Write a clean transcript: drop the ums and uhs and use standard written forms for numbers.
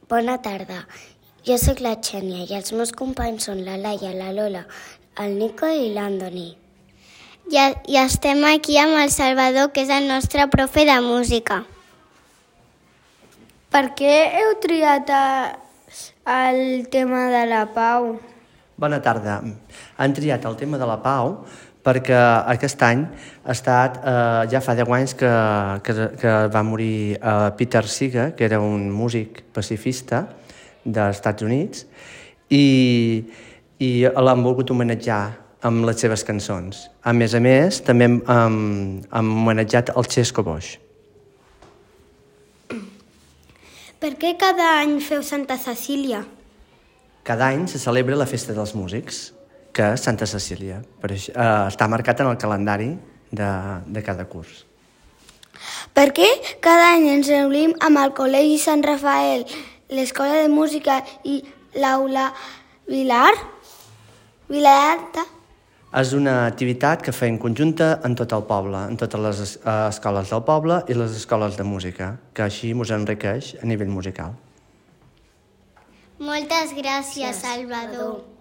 Bona tarda. Jo sóc la Xènia i els meus companys són la Laia, la Lola, el Nico i l'Andoni. I estem aquí amb el Salvador, que és el nostre profe de música. Per què heu triat el tema de la pau? Bona tarda. Han triat el tema de la pau perquè aquest any ha estat, ja fa 10 anys que va morir Peter Seeger, que era un músic pacifista dels Estats Units, i l'han volgut homenatjar amb les seves cançons. A més, també hem homenatjat el Xesco Boix. Per què cada any feu Santa Cecília? Cada any se celebra la Festa dels Músics, que és Santa Cecília. Per això, està marcat en el calendari de cada curs. Per què cada any ens reunim amb el Col·legi Sant Rafael, l'Escola de Música i l'Aula Vilalta? És una activitat que fem conjunta en tot el poble, en totes les escoles del poble i les escoles de música, que així ens enriqueix a nivell musical. Moltes gràcies, Salvador.